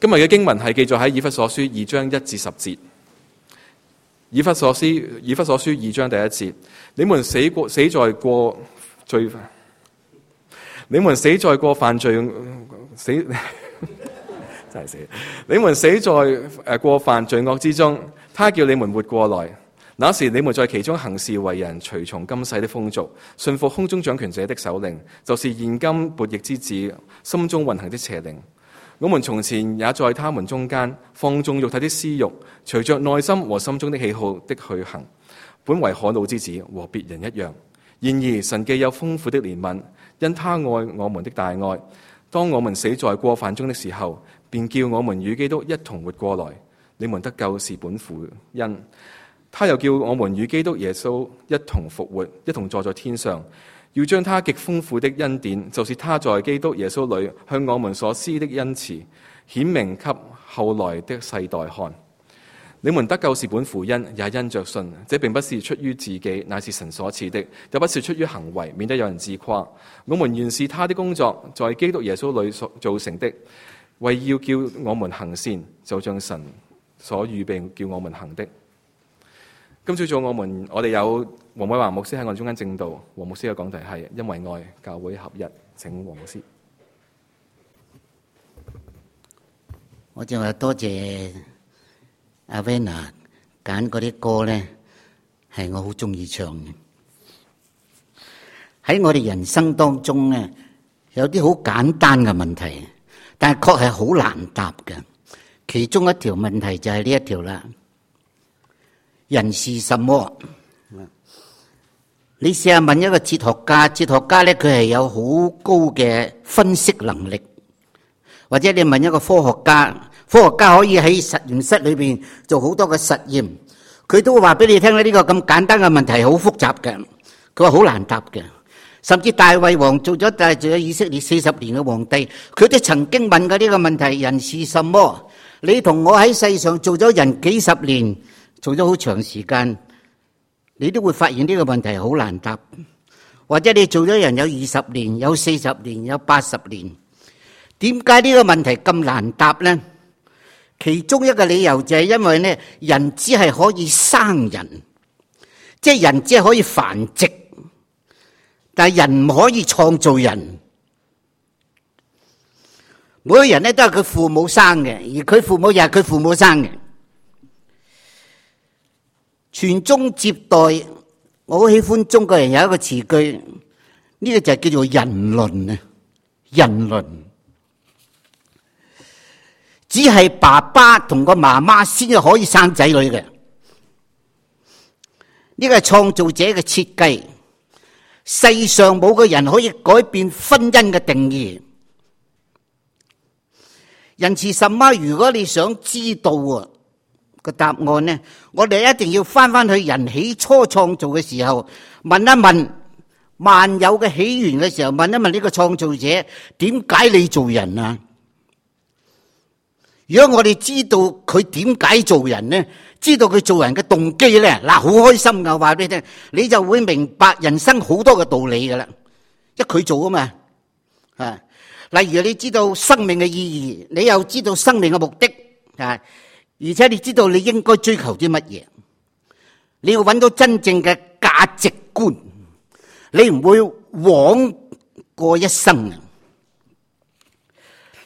今日嘅經文係記載喺以弗所書2章1至10節。以弗所書2章第1節，你們死在過罪，你們死在過犯罪死真係死，你們死在過犯罪惡之中，他叫你們活過來。那時你們在其中行事為人，隨從今世的風俗，順服空中掌權者的首領，就是現今悖逆之子心中運行的邪靈。我們從前也在他們中間放縱肉體的私慾，隨着內心和心中的喜好的去行，本為可怒之子，和別人一樣。然而神既有豐富的憐憫，因他愛我們的大愛，當我們死在過犯中的時候，便叫我們與基督一同活過來。你們得救是本乎恩，他又叫我們與基督耶穌一同復活，一同坐在天上，要將他極豐富的恩典，就是他在基督耶穌裏向我們所施的恩慈，顯明給後來的世代看。你們得救是本乎恩，也因着信。這並不是出於自己，乃是神所賜的；又不是出於行為，免得有人自誇。我們原是他的工作，在基督耶穌裏所造成的，為要叫我們行善，就像神所預備叫我們行的。今朝早我哋有黃偉華牧師喺我哋中間證道，黃牧師嘅講題係因為愛，教會合一。請黃牧師。我就話多謝阿 Vanna 揀嗰啲歌咧，係我好中意唱嘅。喺我哋人生當中咧，有啲好簡單嘅問題，但係確係好難答嘅。其中一條問題就係呢一條啦。人是什麼？你試下問一個哲學家，哲學家咧佢係有好高嘅分析能力，或者你問一個科學家，科學家可以喺實驗室裏邊做好多嘅實驗，佢都會話俾你聽咧，呢個咁簡單嘅問題好複雜嘅，佢話好難答嘅。甚至大衛王做咗以色列40年嘅皇帝，佢都曾經問過呢個問題：人是什麼？你同我喺世上做咗人幾十年，做咗好長時間，你都會發現呢個問題好難答。或者你做咗人有20年、有40年、有80年，點解呢個問題咁難答呢？其中一個理由就係因為呢，人只係可以生人，即係人只係可以繁殖，但係人唔可以創造人。每個人呢都係佢父母生嘅，而佢父母又係佢父母生嘅。傳宗接代，我好喜歡中國人有一個詞句，呢個就係叫做人倫啊！人倫只係爸爸同個媽媽先至可以生仔女嘅，呢個係創造者嘅設計。世上冇個人可以改變婚姻嘅定義。人是什麼？如果你想知道個答案呢，我哋一定要翻去人起初創造嘅時候，問一問萬有嘅起源嘅時候，問一問呢個創造者，點解你做人啊？如果我哋知道佢點解做人呢，知道佢做人嘅動機呢，嗱，好開心噶，話俾你聽，你就會明白人生好多嘅道理噶啦，因為佢做啊嘛，啊，例如你知道生命嘅意義，你又知道生命嘅目的啊。而且你知道你應該追求啲乜嘢，你要揾到真正嘅價值觀，你唔會枉過一生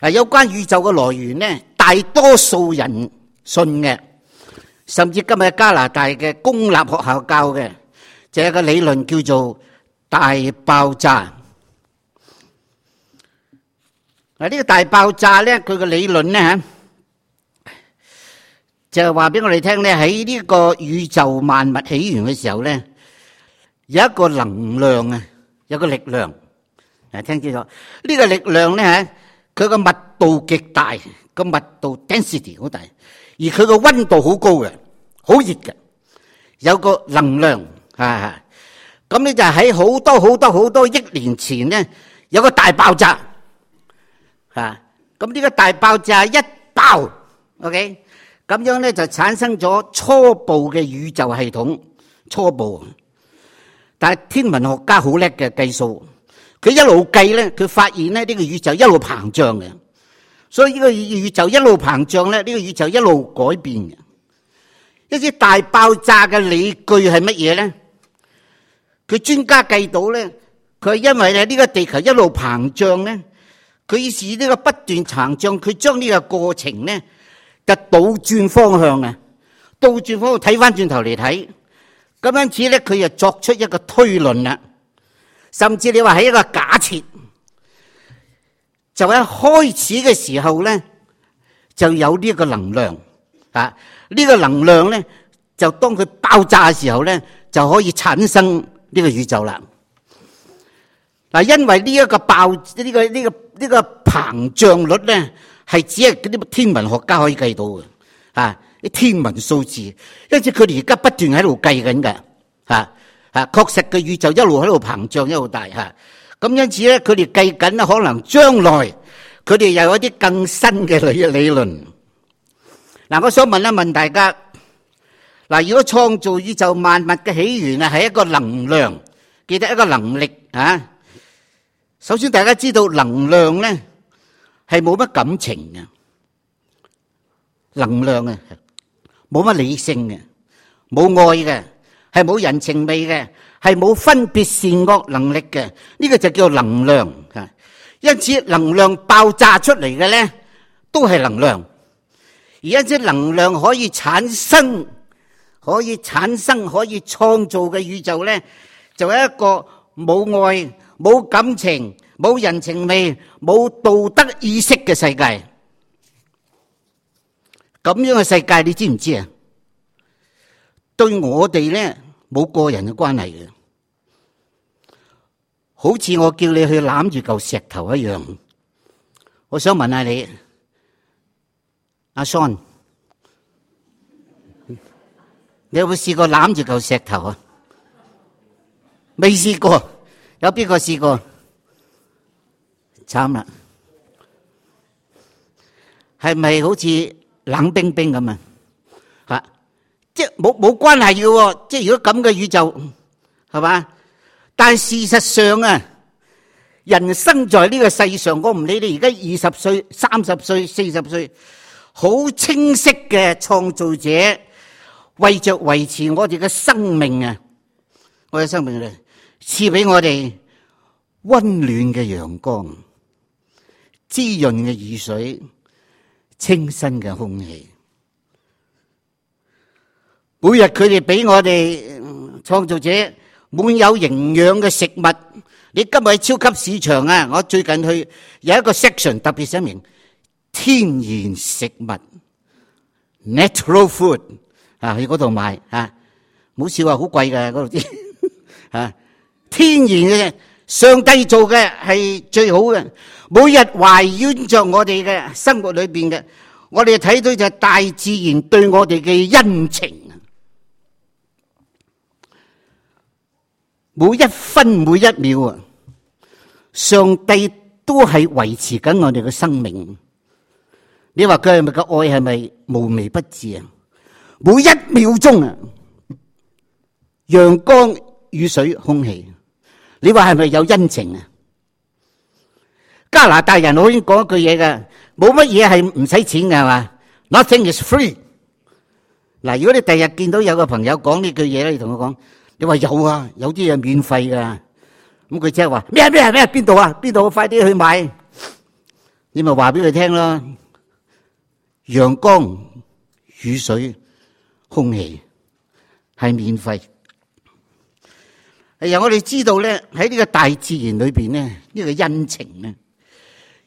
啊！有關宇宙嘅來源呢，大多數人信嘅，甚至今日加拿大嘅公立學校教嘅，就有個理論叫做大爆炸。嗱，呢個大爆炸咧，佢嘅理論咧吓，就係話俾我哋聽咧，喺呢個宇宙萬物起源嘅時候咧，有一個能量啊，有個力量。嗱，聽清楚，呢個力量咧吓，佢個密度極大，個密度 density 好大，而佢個溫度好高嘅，好熱嘅，有個能量啊。咁咧就喺好多億年前咧，有個大爆炸啊。咁呢個大爆炸一爆 ，OK。咁樣咧就產生咗初步嘅宇宙系統，初步。但係天文學家好叻嘅計數，佢一路計咧，佢發現咧呢個宇宙一路膨脹嘅，所以呢個宇宙一路膨脹咧，呢個宇宙一路改變嘅。一路膨脹咧，呢個宇宙一路改變嘅。一啲大爆炸嘅理據係乜嘢咧？佢專家計到咧，佢係因為咧呢個地球一路膨脹咧，佢於是呢個不斷膨脹，佢將呢個過程咧就倒轉方向啊，倒轉方向睇翻轉頭嚟睇，咁因此咧佢又作出一個推論啦，甚至你話係一個假設，就喺開始嘅時候咧就有呢個能量啊，呢個能量咧就當佢爆炸嘅時候咧就可以產生呢個宇宙啦。嗱，因為呢一個呢個膨脹率咧，係只係嗰啲天文學家可以計到嘅，啲天文數字，因此佢哋而家不斷喺度計緊嘅，確實嘅宇宙一路喺度膨脹，一路大嚇。咁因此咧，佢哋計緊咧，可能將來佢哋又有一啲更新嘅理論。嗱，我想問大家，嗱，如果創造宇宙萬物嘅起源係一個能量，記得一個能力啊。首先，大家知道能量咧係冇乜感情嘅，能量啊冇乜理性嘅，冇愛嘅，係冇人情味嘅，係冇分別善惡能力嘅，呢個就叫能量。因此，能量爆炸出嚟嘅咧都係能量，而因此能量可以產生、可以創造嘅宇宙咧，就係一個冇愛、冇感情、冇人情味、冇道德意識嘅世界。咁樣嘅世界，你知唔知啊？對我哋咧冇個人嘅關係嘅，好似我叫你去攬住嚿石頭一樣。我想問下你，阿 Son， 你有冇試過攬住嚿石頭啊？未試過。有邊個試過？慘啦，係咪好似冷冰冰咁啊？吓，即係冇關係嘅，即係如果咁嘅宇宙，係嘛？但係事實上啊，人生在呢個世上，我唔理你而家20歲、30歲、40歲，好清晰嘅創造者，為着維持我哋嘅生命啊，我嘅生命咧，賜俾我哋溫暖嘅陽光、滋潤嘅雨水、清新嘅空氣。每日佢哋俾我哋創造者滿有營養嘅食物。你今日喺超級市場啊，我最近去有一個 section 特別寫明天然食物 （natural food） 啊，去嗰度買啊，唔好笑啊，好貴㗎嗰度啲啊，天然嘅。上帝做嘅係最好嘅，每日懷繞着我哋嘅生活裏邊嘅，我哋睇到就係大自然對我哋嘅恩情。每一分每一秒啊，上帝都係維持緊我哋嘅生命。你話佢係咪個愛係咪無微不至啊？每一秒鐘啊，陽光、雨水、空氣。你話係咪有恩情啊？加拿大人好似講一句嘢㗎，冇乜嘢係唔使錢㗎，係嘛？ Nothing is free。嗱，如果你第日見到有個朋友講呢句嘢咧，你同佢講，你話有啊，有啲嘢免費㗎。咁佢即係話咩？邊度啊？邊度？快啲去買。你咪話俾佢聽咯。陽光、雨水、空氣係免費。係啊，我哋知道咧，喺呢個大自然裏邊咧，呢個恩情咧，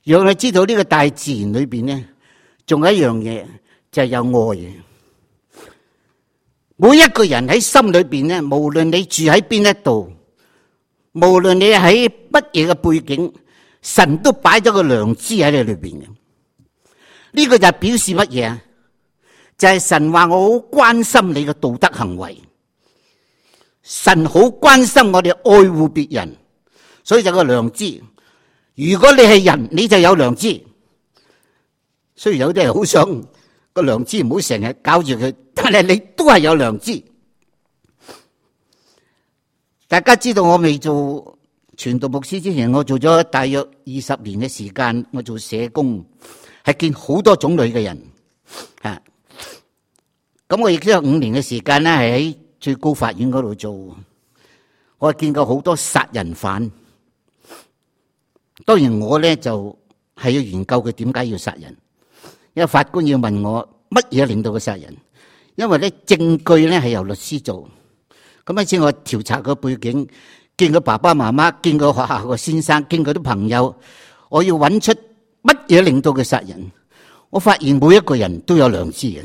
讓你知道呢個大自然裏邊咧，仲有一樣嘢就係有愛。每一個人喺心裏邊咧，無論你住喺邊一度，無論你喺乜嘢嘅背景，神都擺咗個良知喺你裏邊嘅。呢個就係表示乜嘢啊？就係神話我好關心你嘅道德行為。神好關心我哋愛護別人，所以就有個良知。如果你係人，你就有良知。雖然有啲人好想個良知唔好成日搞住佢，但係你都係有良知。大家知道我未做傳道牧師之前，我做咗大約20年嘅時間，我做社工係見好多種類嘅人啊。咁我亦都有5年嘅時間咧，係喺最高法院嗰度做。我係見過好多殺人犯。當然我咧就係要研究佢點解要殺人，因為法官要問我乜嘢令到佢殺人。因為咧證據咧係由律師做。咁一次我調查個背景，見佢爸爸媽媽，見佢學校個先生，見佢啲朋友，我要揾出乜嘢令到佢殺人。我發現每一個人都有良知嘅。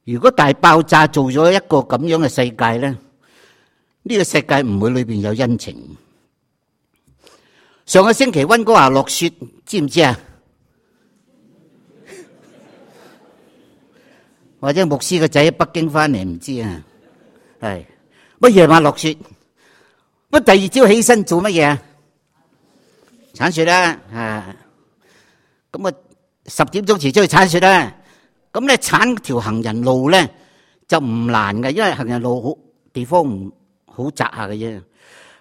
如果大爆炸做咗一個咁樣嘅世界咧，呢個世界唔會裏邊有恩情。上個星期溫哥華落雪，知唔知啊？或者牧師個仔喺北京翻嚟唔知啊？係乜夜晚落雪？乜第二朝起身做乜嘢啊？鏟雪啦，咁啊10點鐘遲出去鏟雪啦。咁咧鏟條行人路咧就唔難嘅，因為行人路好地方唔好窄下嘅啫。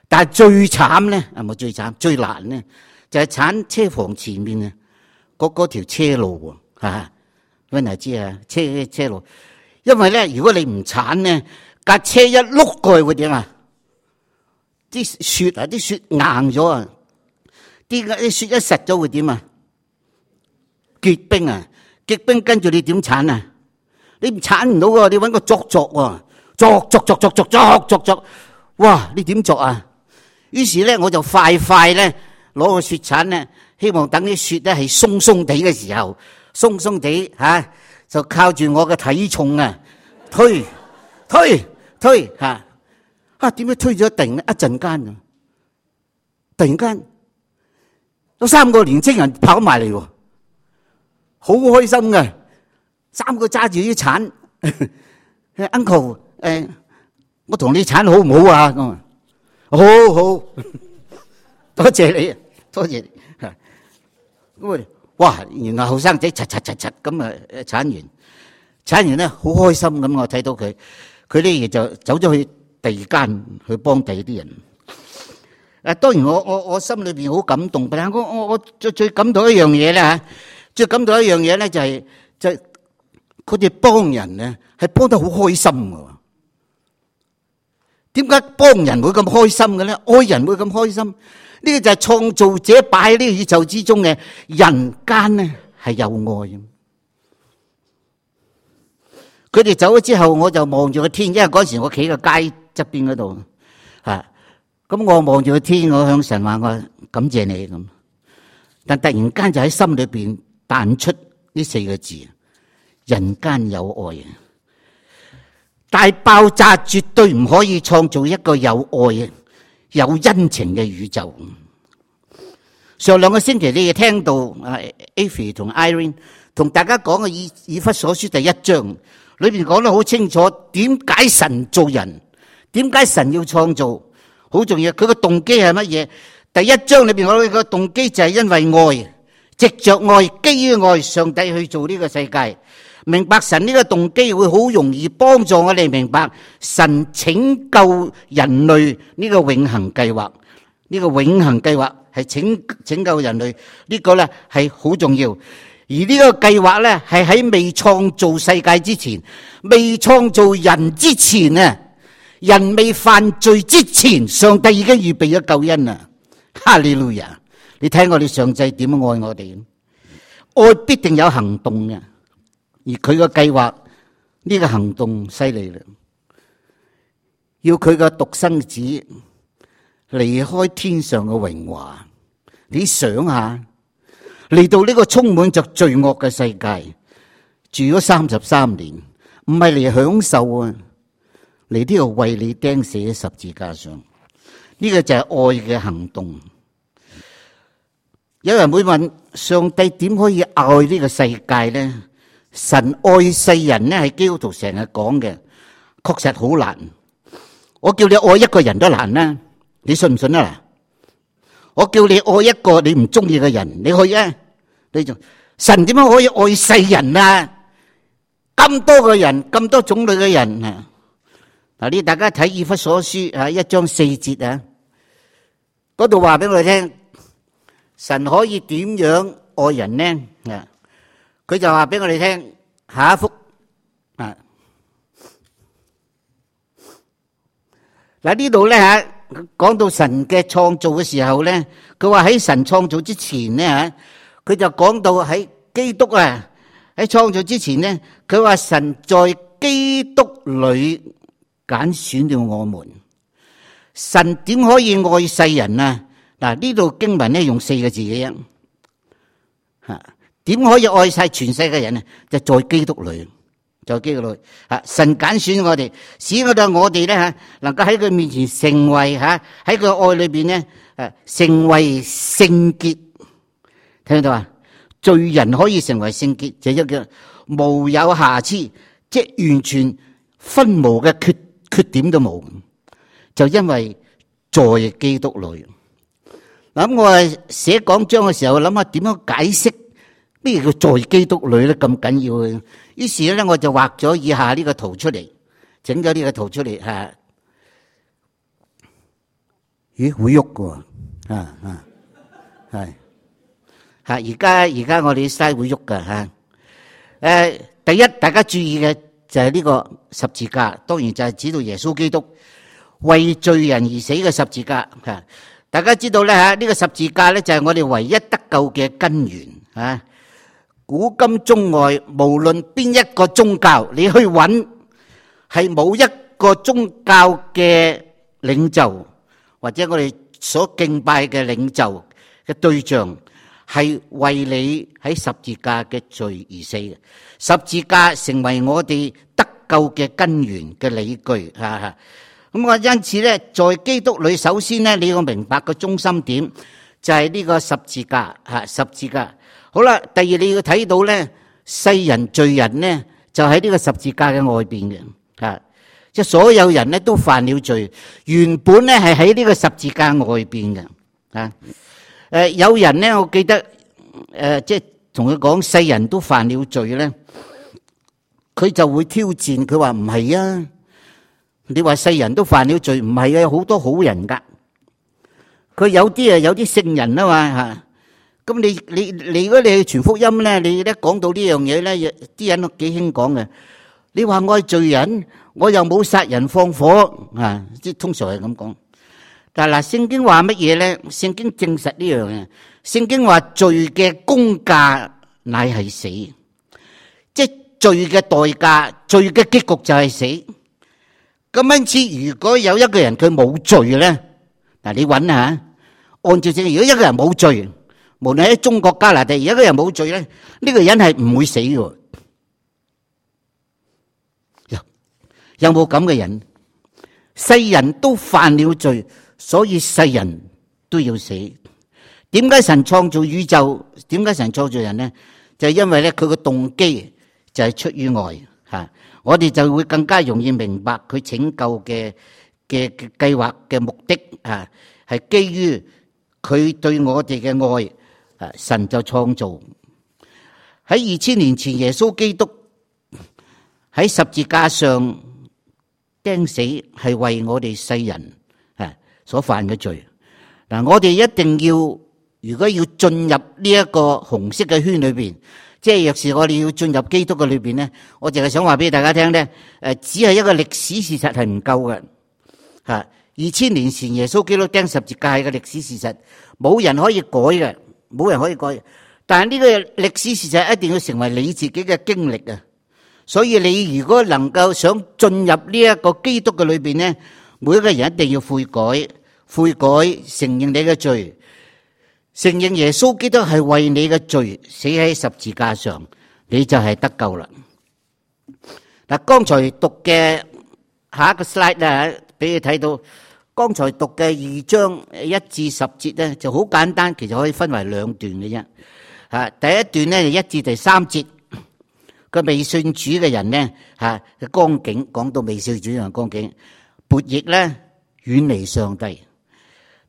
但係最慘咧，係咪最慘？最難咧就係鏟車房前面啊，嗰條車路喎，溫係知啊，車路。因為咧，如果你唔鏟咧，架車一碌過去會點啊？啲雪硬咗啊！啲雪一實咗會點啊？結冰啊！結冰跟住你點鏟啊？你唔鏟唔到喎，你搵個鑿喎，鑿，哇！你點鑿啊？於是咧我就快咧攞個雪鏟咧，希望等啲雪咧係鬆鬆地嘅時候，鬆鬆地就靠住我嘅體重啊，推點解推咗一陣間啊？突然間有3個年青人跑埋嚟喎。好開心嘅，3個揸住啲鏟，Uncle， 我同你鏟好唔好啊？咁啊，好，多謝你，多謝你。咁啊，哇！然後後生仔嚓咁啊，鏟完咧好開心咁，我睇到佢咧就走咗去第二間去幫第二啲人。當然我心裏邊好感動，但係我最感到一樣嘢咧嚇。最感到一樣嘢咧，就係佢哋幫人咧，係幫得好開心嘅。點解幫人會咁開心嘅咧？愛人會咁開心？呢個就係創造者擺喺呢個宇宙之中嘅人間咧，係有愛。佢哋走咗之後，我就望住個天，因為嗰時我企個街側邊嗰度，咁我望住個天，我向神話我感謝你咁。但突然間就喺心裏邊彈出呢4個字：人間有愛。大爆炸絕對唔可以創造一個有愛、有恩情嘅宇宙。上2個星期你哋聽到Avi 同 Irene 同大家講嘅以弗所書第1章裏邊講得好清楚，點解神造人，點解神要創造，好重要。佢個動機係乜嘢？第1章裏邊我哋個動機就係因為愛，藉着愛，基於愛，上帝去做呢個世界。明白神呢個動機會好容易幫助我哋明白神拯救人類呢個永恆計劃。呢個永恆計劃係拯救人類，呢個咧係好重要。而呢個計劃咧係喺未創造世界之前，未創造人之前啊，人未犯罪之前，上帝已經預備咗救恩啊！哈利路亞！你睇我哋上帝點樣愛我哋？愛必定有行動嘅，而佢個計劃呢個行動犀利啦，要佢個獨生子離開天上嘅榮華。你想下，嚟到呢個充滿着罪惡嘅世界，住咗33年，唔係嚟享受啊，嚟呢度為你釘死喺十字架上。呢個就係愛嘅行動。有人會問，上帝點可以愛呢個世界呢？神愛世人呢，係基督徒成日講嘅，確實好難。我叫你愛一個人都難啦，你信唔信啊？我叫你愛一個你唔中意嘅人，你去啊？你就神點樣可以愛世人啊？咁多個人，咁多種類嘅人啊！嗱，呢大家睇以弗所書1章4節啊，嗰度話俾我哋聽，神可以點樣愛人呢？佢就話俾我哋聽，下一幅啊，嗱呢度咧吓，講到神嘅創造嘅時候咧，佢話喺神創造之前咧吓，佢就講到喺基督啊喺創造之前咧，佢話神在基督裏揀選了我們。神點可以愛世人啊？嗱呢度經文咧用4個字嘅啫，吓點可以愛晒全世界人啊？就在基督裏，在基督裏，神揀選我哋，使我哋咧吓，能夠喺佢面前成為吓喺佢愛裏邊咧，成為聖潔。聽到啊？罪人可以成為聖潔，就一個無有瑕疵，即係完全分無嘅缺點都冇，就因為在基督裏。嗱咁我寫講章嘅時候諗下點樣解釋咩叫在基督裏咧，咁緊要嘅。於是咧我就畫咗以下呢個圖出嚟，整咗呢個圖出嚟吓。咦會喐㗎喎，係吓而家我哋啲西會喐噶吓。第一大家注意嘅就係呢個十字架，當然就係指到耶穌基督為罪人而死嘅十字架吓。大家知道咧吓，呢個十字架咧就係我哋唯一得救嘅根源吓。古今中外，無論邊一個宗教，你去揾係冇一個宗教嘅領袖或者我哋所敬拜嘅領袖嘅對象係為你喺十字架嘅罪而死嘅。十字架成為我哋得救嘅根源嘅理據吓。咁我因此咧，在基督裏，首先咧，你要明白個中心點就係呢個十字架吓，十字架。好啦，第二你要睇到咧，世人罪人咧就喺呢個十字架嘅外邊嘅吓，即係所有人咧都犯了罪，原本咧係喺呢個十字架外邊嘅吓。有人咧，我記得即係同佢講世人都犯了罪咧，佢就會挑戰，佢話唔係啊。你話世人都犯了罪，唔係啊，有好多好人噶。佢有啲有啲聖人啊嘛吓。咁你如果你去傳福音咧，你咧講到呢樣嘢咧，啲人都幾興講嘅。你話我係罪人，我又冇殺人放火啊，即係通常係咁講。但係嗱，聖經話乜嘢咧？聖經證實呢樣嘢。聖經話罪嘅工價乃係死，即係罪嘅代價，罪嘅結局就係死。咁因此，如果有一個人佢冇罪咧，嗱你揾下，按照正，如果一個人冇罪，無論喺中國加拿大，而一個人冇罪咧，呢個人係唔會死嘅。有冇咁嘅人？世人都犯了罪，所以世人都要死。點解神創造宇宙？點解神創造人咧？就係因為咧，佢個動機就係出於愛吓。我哋就會更加容易明白佢拯救嘅計劃嘅目的啊，係基於佢對我哋嘅愛啊，神就創造。喺2000年前，耶穌基督喺十字架上釘死，係為我哋世人啊所犯嘅罪。嗱，我哋一定要，如果要進入呢一個紅色嘅圈裏邊。即係若是我哋要進入基督嘅裏邊咧，我淨係想話俾大家聽咧，只係一個歷史事實係唔夠嘅吓。2000年前耶穌基督釘十字架係個歷史事實，冇人可以改嘅，冇人可以改。但係呢個歷史事實一定要成為你自己嘅經歷啊！所以你如果能夠想進入呢一個基督嘅裏邊咧，每一個人一定要悔改，承認你嘅罪。承認耶穌基督係為你嘅罪死喺十字架上，你就係得救啦。嗱，剛才讀嘅下一個 slide 咧，俾你睇到，剛才讀嘅2章1至10節咧就好簡單，其實可以分為2段嘅啫。吓，第一段咧就1至第3節，個未信主嘅人咧吓嘅光景，講到未信主嘅光景，悖逆咧遠離上帝。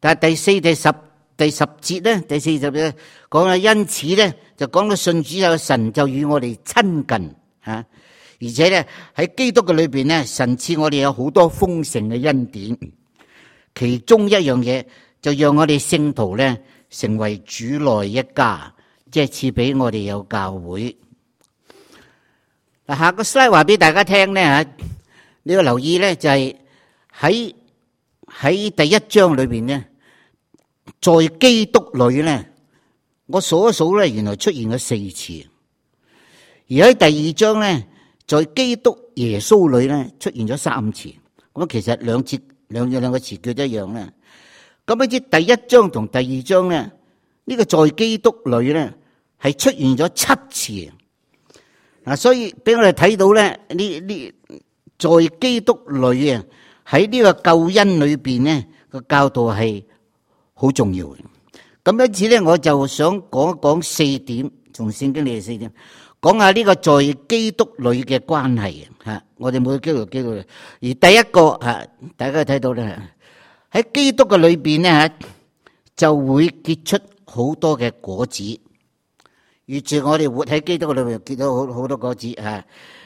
但係第10節咧，第40節講啦，因此咧就講到信主有神就與我哋親近吓，而且咧喺基督嘅裏邊咧，神賜我哋有好多豐盛嘅恩典，其中一樣嘢就讓我哋聖徒咧成為主內一家，即係賜俾我哋有教會。嗱，下個 slide 話俾大家聽咧嚇，你要留意咧就係喺第一章裏邊咧，在基督裏咧，我數一數咧，原來出現咗4次。而喺第二章咧，在基督耶穌裏咧，出現咗3次。咁其實兩個詞叫一樣咧。咁呢啲第一章同第二章咧，呢個在基督裏咧係出現咗7次。嗱，所以俾我哋睇到咧，呢在基督裏啊，喺呢個救恩裏邊咧個教導係好重要嘅。咁因此咧，我就想講一講4點，從聖經裏嘅4點，講下呢個在基督裏嘅關係嚇。我哋每個基督裏，而第一個嚇，大家睇到咧，喺基督嘅裏邊咧嚇，就會結出好多嘅果子。預住我哋活喺基督嘅裏邊，結到好多果子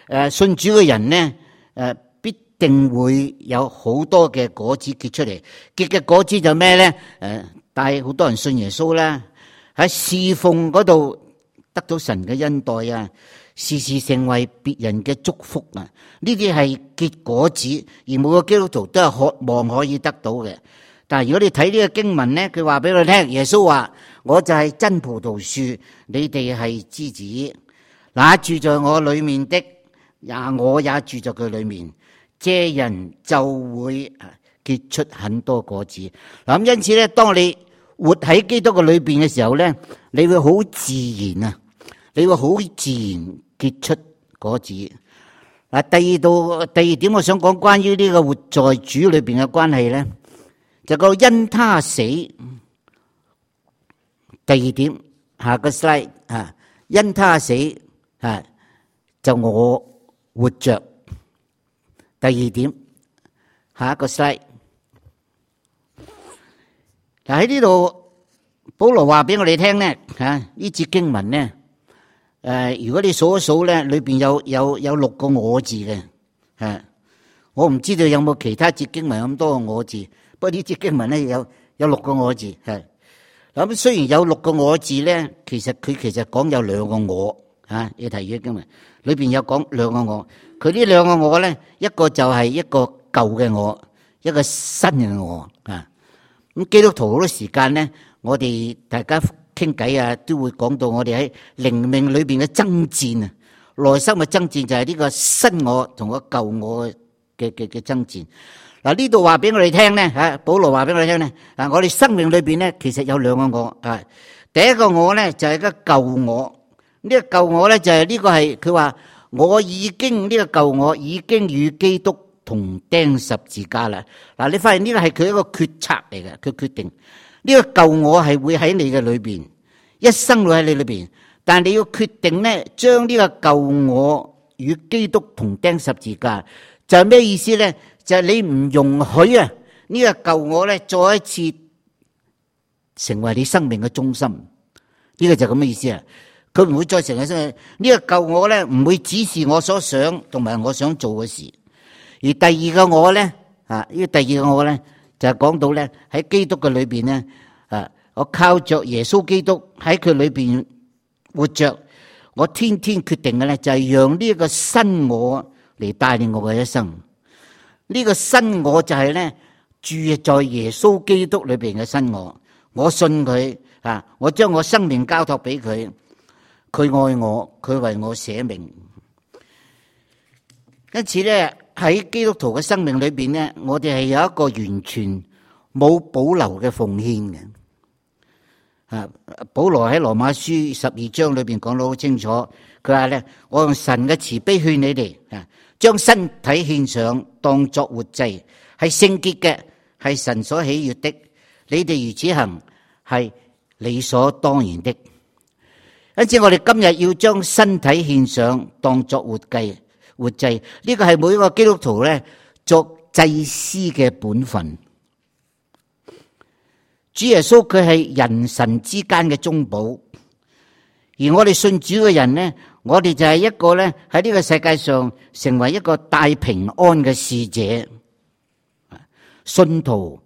嚇。信主嘅人咧，必定會有好多嘅果子結出嚟。結嘅果子就咩咧？帶好多人信耶穌啦，喺侍奉嗰度得到神嘅恩待啊，時時成為別人嘅祝福啊。呢啲係結果子，而每個基督徒都係渴望可以得到嘅。但係如果你睇呢個經文咧，佢話俾我聽，耶穌話：我就係真葡萄樹，你哋係枝子。那住在我裏面的，我也住在佢裏面，這人就會結出很多果子。嗱，咁因此咧，當你活喺基督嘅裏邊嘅時候咧，你會好自然啊，你會好自然結出果子。嗱，第二點，我想講關於呢個活在主裏邊嘅關係咧，就個因他死。第二點，下個 slide 啊，因他死啊，就我活着。第二點，下一個 slide。嗱，喺呢度，保羅話俾我哋聽咧，呢節經文咧，如果你數一數咧，裏邊有6個我字嘅，我唔知道有冇其他節經文咁多個我字，不過呢節經文咧有6個我字，係。咁雖然有6個我字咧，其實講有2個我，你睇呢經文裏邊有講2個我，佢呢2個我咧，一個就係一個舊嘅我，一個新嘅我啊。咁基督徒好多時間咧，我哋大家傾偈啊，都會講到我哋喺靈命裏邊嘅爭戰啊，內心嘅爭戰就係呢個新我同個舊我嘅爭戰。嗱，呢度話俾我哋聽咧，保羅話俾我哋聽咧，我哋生命裏邊咧，其實有2個我啊。第一個我咧就係個舊我，呢個舊我咧就係呢個係佢話我已經呢個舊我已經與基督同釘十字架啦。嗱，你發現呢個係佢一個決策嚟嘅，佢決定呢個舊我係會喺你嘅裏邊，一生會喺你裏邊，但係你要決定咧，將呢個舊我與基督同釘十字架，就係咩意思咧？就係你唔容許啊呢個舊我咧再一次成為你生命嘅中心，呢個就咁嘅意思啊！佢唔會再成為呢個舊我咧，唔會指示我所想同埋我想做嘅事。而第二個我咧，呢個第二個我咧就係講到咧喺基督嘅裏邊咧，我靠着耶穌基督喺佢裏邊活着，我天天決定嘅咧就係讓呢一個新我嚟帶領我嘅一生。呢個新我就係咧住在耶穌基督裏邊嘅新我，我信佢我將我生命交託俾佢，佢愛我，佢為我捨命。因此咧喺基督徒嘅生命裏邊咧，我哋係有一個完全冇保留嘅奉獻嘅。保羅喺羅馬書12章裏邊講得好清楚，佢話咧，我用神嘅慈悲勸你哋將身體獻上，當作活祭，係聖潔嘅，係神所喜悦的。你哋如此行，係理所當然的。因此，我哋今日要將身體獻上，當作活祭。呢個係每一個基督徒咧作祭司嘅本分。主耶穌佢係人神之間嘅中保，而我哋信主嘅人呢，我哋就係一個咧喺呢個世界上成為一個帶平安嘅使者。信徒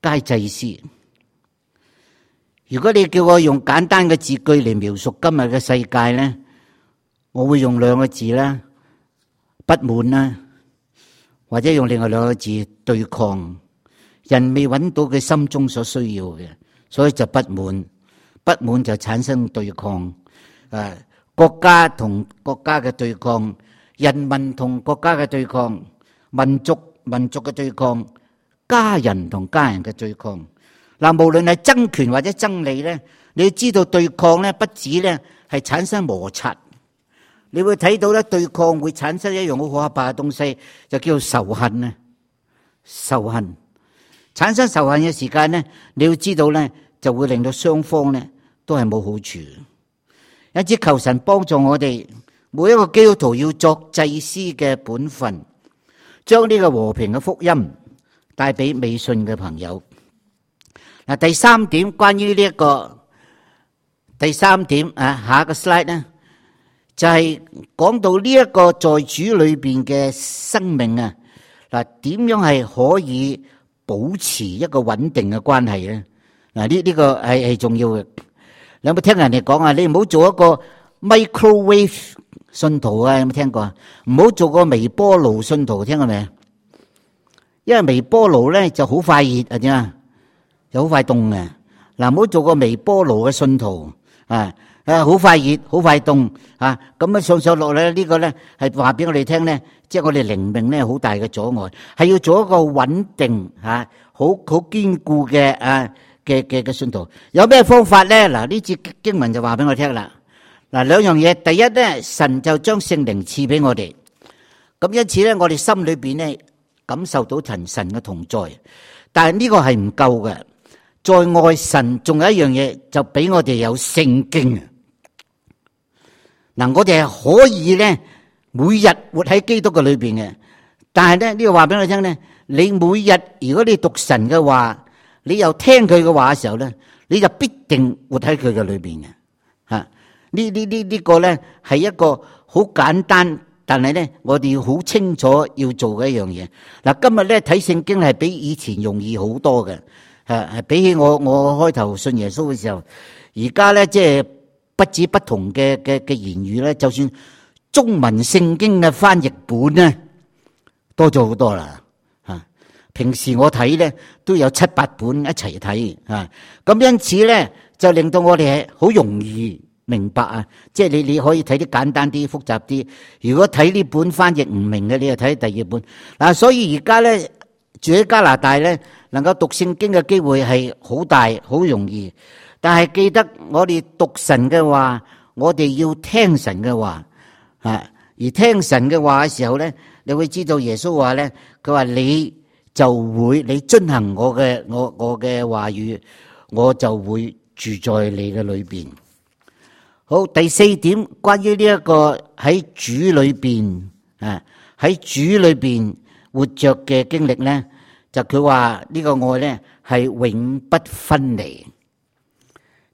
皆祭司，如果你叫我用簡單嘅字句嚟描述今日嘅世界咧，我會用兩個字啦，不滿啦，或者用另外兩個字對抗。人未揾到佢心中所需要嘅，所以就不滿，不滿就產生對抗。國家同國家嘅對抗，人民同國家嘅對抗，民族嘅對抗，家人同家人嘅對抗。嗱，無論係爭權或者爭利咧，你要知道對抗咧，不止咧係產生摩擦，你會睇到咧對抗會產生一樣好可怕嘅東西，就叫做仇恨啊！仇恨產生仇恨嘅時間咧，你要知道咧，就會令到雙方咧都係冇好處。因此求神幫助我哋每一個基督徒要作祭司嘅本分，將呢個和平嘅福音帶俾未信嘅朋友。嗱，第三點關於呢一個第三點下一個 slide 咧，就係講到呢一個在主裏邊嘅生命啊，嗱，點樣係可以保持一個穩定嘅關係咧？嗱，呢個係重要嘅。你有冇聽人哋講啊？你唔好做一個 microwave 信徒啊？有冇聽過啊？唔好做個微波爐信徒，聽過未？因為微波爐咧就好快熱啊，點啊？又好快凍嘅。嗱，唔好做個微波爐嘅信徒啊！好快熱，好快凍啊！咁啊上落咧，呢個咧係話俾我哋聽咧，即係我哋靈命咧好大嘅阻礙，係要做一個穩定好堅固嘅嘅信徒。有咩方法咧？嗱，呢節經文就話俾我聽啦。嗱，兩樣嘢，第一咧，神就將聖靈賜俾我哋，咁因此咧，我哋心裏邊咧感受到神嘅同在，但係呢個係唔夠嘅。在外神仲有一樣嘢，就俾我哋有聖經。嗱，我哋係可以咧每日活喺基督嘅裏邊嘅，但係咧呢個話俾我聽咧，你每日如果你讀神嘅話，你又聽佢嘅話嘅時候咧，你就必定活喺佢嘅裏邊嘅。呢個咧係一個好簡單，但係咧我哋要好清楚要做嘅一樣嘢。嗱，今日咧睇聖經係比以前容易好多嘅。係比起我開頭信耶穌嘅時候，而家咧即係不止不同嘅言語咧，就算中文聖經嘅翻譯本咧多咗好多啦。平時我睇咧都有7-8本一齊睇咁因此咧就令到我哋係好容易明白啊！即係你可以睇啲簡單啲、複雜啲。如果睇呢本翻譯唔明嘅，你就睇第二本嗱。所以而家咧住喺加拿大咧，能夠讀聖經嘅機會係好大、好容易，但係記得我哋讀神嘅話，我哋要聽神嘅話而聽神嘅話嘅時候咧，你會知道耶穌話咧，佢話你遵行我嘅話語，我就會住在你嘅裏邊。好，第四點關於呢一個喺主裏邊喺主裏邊活着嘅經歷咧。就佢話呢個愛咧係永不分離，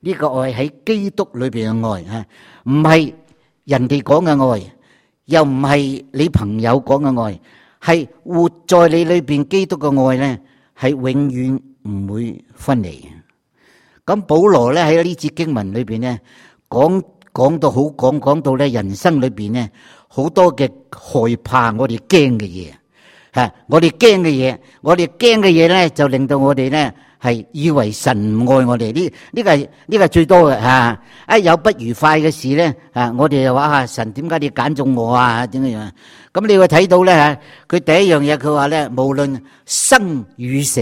呢個愛喺基督裏邊嘅愛唔係人哋講嘅愛，又唔係你朋友講嘅愛，係活在你裏邊基督嘅愛咧係永遠唔會分離。咁保羅咧喺呢節經文裏邊咧講到咧人生裏邊咧好多嘅害怕，我哋驚嘅嘢。我哋驚嘅嘢咧，就令到我哋咧係以為神唔愛我哋。呢個係最多嘅一有不愉快嘅事咧，我哋就話神點解你揀中我啊？點樣？咁你會睇到咧佢第一樣嘢，佢話咧無論生與死，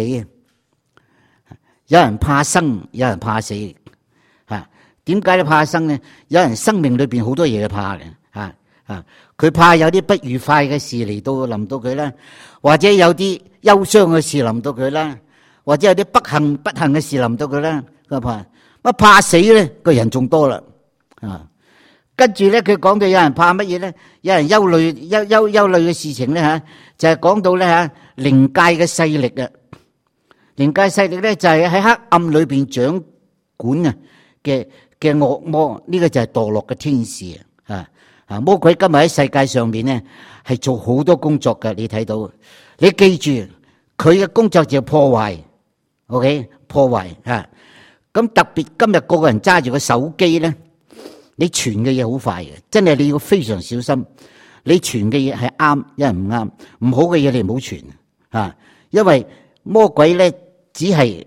有人怕生，有人怕死。點解你怕生咧？有人生命裏邊好多嘢怕嘅。佢怕有啲不愉快嘅事臨到佢啦，或者有啲憂傷嘅事臨到佢啦，或者有啲不幸嘅事臨到佢啦。佢怕死咧，個人仲多啦。跟住咧，佢講到有人怕乜嘢咧？有人憂慮嘅事情咧就係講到咧靈界嘅勢力啊。靈界勢力咧就係喺黑暗裏邊掌管嘅惡魔，呢個就係墮落嘅天使魔鬼今日喺世界上面咧係做好多工作嘅，你睇到。你記住佢嘅工作就係破壞，OK？ 破壞咁特別今日個個人揸住個手機咧，你傳嘅嘢好快嘅，真係你要非常小心。你傳嘅嘢係啱，一係唔啱，唔好嘅嘢你唔好傳啊！因為魔鬼咧只係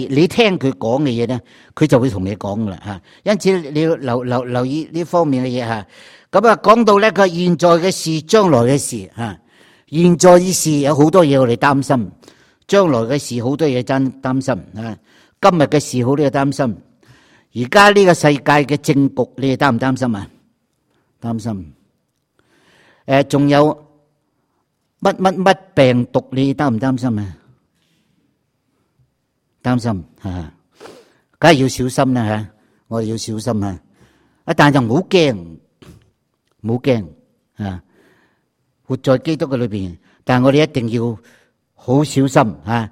你聽佢講嘅嘢咧，佢就會同你講噶啦嚇。因此你要留意呢方面嘅嘢嚇。咁啊講到咧佢現在嘅事、將來嘅事嚇。現在嘅事有好多嘢我哋擔心，將來嘅事好多嘢真擔心啊！今日嘅事好多嘢擔心，而家呢個世界嘅政局你哋擔唔擔心啊？擔心。仲有乜病毒你擔唔擔心啊？擔心嚇，梗係要小心啦嚇！我哋要小心啊！但係就唔好驚，唔好驚啊！活在基督嘅裏邊，但係我哋一定要好小心啊，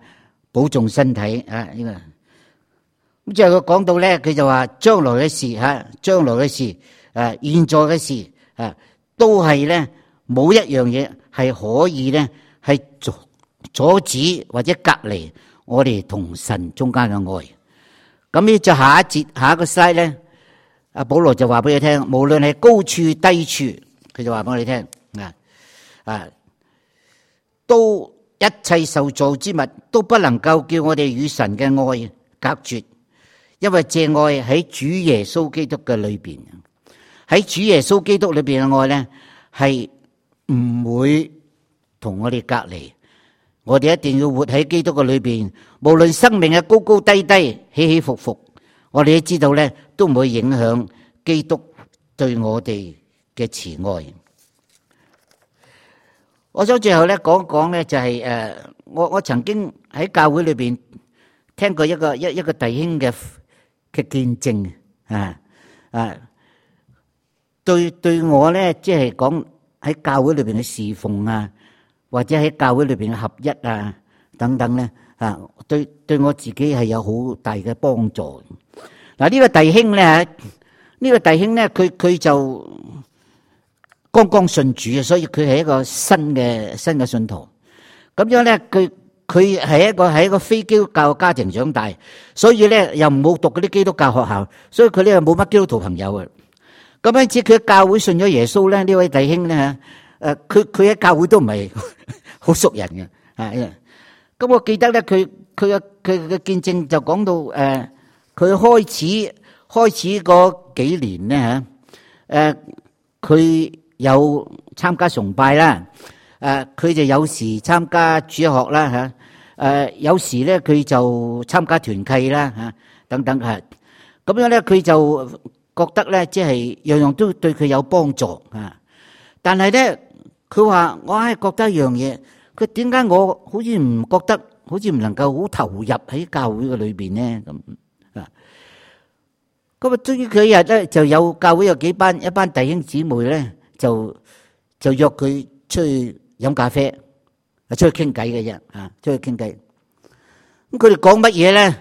保重身體啊！呢個咁之後佢講到咧，佢就話將來嘅事嚇，將來嘅事現在嘅事都係咧冇一樣嘢係可以咧係阻止或者隔離我哋同神中間嘅愛。咁呢就下一節下一個 slide 咧，阿保羅就話俾你聽，無論係高處低處，佢就話俾你聽都一切受造之物都不能夠叫我哋與神嘅愛隔絕，因為這愛喺主耶穌基督嘅裏邊，喺主耶穌基督裏邊嘅愛咧係唔會同我哋隔離。我哋一定要活喺基督嘅裏邊，無論生命嘅高高低低、起起伏伏，我哋都知道咧都唔會影響基督對我哋嘅慈愛。我想最後咧講一講咧，就係我曾經喺教會裏邊聽過一個弟兄嘅見證對我咧即係講喺教會裏邊嘅侍奉啊，或者喺教會裏邊嘅合一啊等等咧對我自己係有好大嘅幫助。嗱呢個弟兄咧，佢就剛剛信主啊，所以佢係一個新嘅信徒。咁樣咧，佢係一個非基督教嘅家庭長大，所以咧又冇讀嗰啲基督教學校，所以佢咧冇乜基督徒朋友啊。咁因此佢喺教會信咗耶穌咧，呢位弟兄咧佢喺教會都唔係好熟人嘅。咁我記得咧，佢嘅見證就講到佢開始嗰幾年咧佢有參加崇拜啦，佢就有時參加主日學啦有時咧佢就參加團契啦等等咁樣咧佢就覺得咧即係樣樣都對佢有幫助但係咧佢話我係覺得一樣嘢，佢點解我好似唔覺得，好似唔能夠好投入喺教會嘅裏邊咧咁啊，終於佢一日咧就有教會有一班弟兄姊妹咧就約佢出去飲咖啡，出去傾偈嘅啫出去傾偈。咁佢哋講乜嘢咧？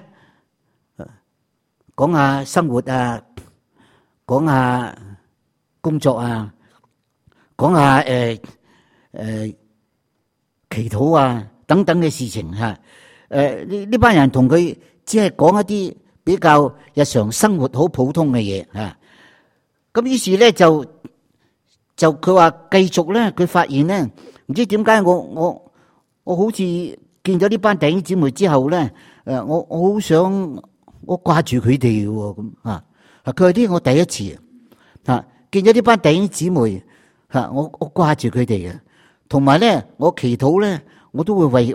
講下生活啊，講下工作啊，講下祈禱啊等等嘅事情呢班人同佢只係講一啲比較日常生活好普通嘅嘢咁於是咧就佢話繼續咧，佢發現咧唔知點解我好似見咗呢班弟兄姊妹之後咧我好想我掛住佢哋喎咁佢話呢我第一次見咗呢班弟兄姊妹我掛住佢哋嘅，同埋咧我祈禱咧我都會為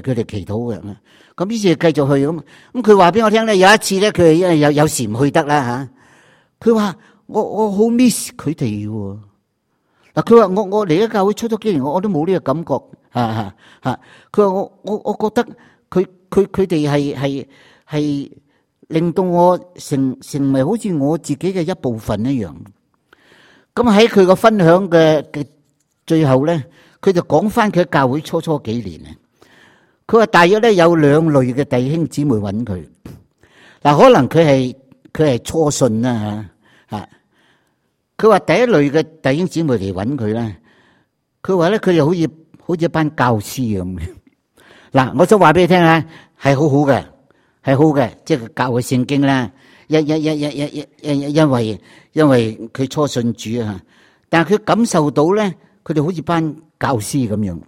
佢哋祈禱嘅。咁於是繼續去咁佢話俾我聽咧，有一次咧佢有時唔去得啦佢話我好 miss 佢哋喎。佢話我嚟咗教會出咗幾年，我都冇呢個感覺佢話我覺得佢哋係令到我成為好似我自己嘅一部分一樣。咁喺佢個分享嘅最後咧，佢就講翻佢喺教會初幾年啊。佢話大約咧有兩類嘅弟兄姊妹揾佢。可能佢係初信啦佢話第一類嘅弟兄姊妹嚟揾佢咧，佢話咧佢哋好似一班教師咁。我想話俾你聽係好好嘅，係好嘅，即係教佢聖經啦。因為佢初信主啊，但係佢感受到咧，佢哋好似班教師咁樣。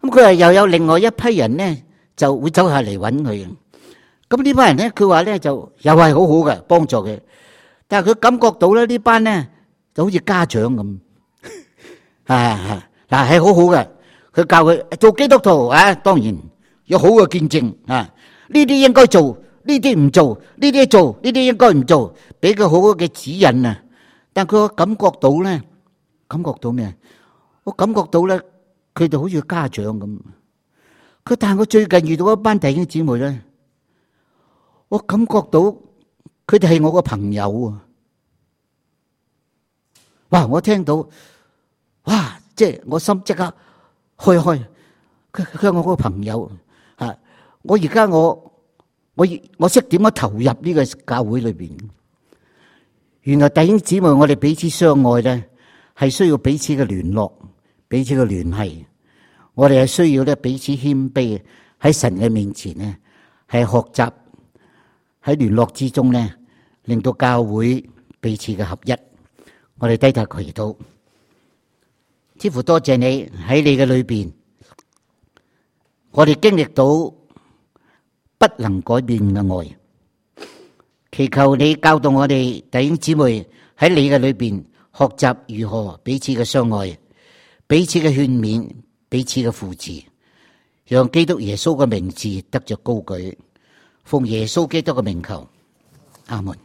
咁佢又有另外一批人咧，就會走下嚟揾佢。咁呢班人咧，佢話咧就又係好好嘅幫助佢，但係佢感覺到咧呢班咧就好似家長咁。嗱係好好嘅，佢教佢做基督徒啊，當然有好嘅見證啊，呢啲應該做。呢啲唔做，呢啲做，呢啲應該唔做，俾佢好好嘅指引啊！但佢感覺到咧，感覺到咩？我感覺到咧，佢哋好似家長咁。但係我最近遇到一班弟兄姊妹咧，我感覺到佢哋係我個朋友啊！哇！我聽到，哇！即係我心即刻開。佢係我個朋友啊！我而家我識點樣投入呢個教會裏邊。原來弟兄姊妹，我哋彼此相愛咧，係需要彼此嘅聯絡，彼此嘅聯繫。我哋係需要咧彼此謙卑，喺神嘅面前咧，係學習喺聯絡之中咧，令到教會彼此嘅合一。我哋低頭祈禱，似乎多謝你喺你嘅裏邊，我哋經歷到不能改變嘅愛，祈求你教導我哋弟兄姊妹喺你嘅裏邊學習如何彼此嘅相愛，彼此嘅勸勉，彼此嘅扶持，讓基督耶穌嘅名字得着高舉，奉耶穌基督嘅名求，阿門。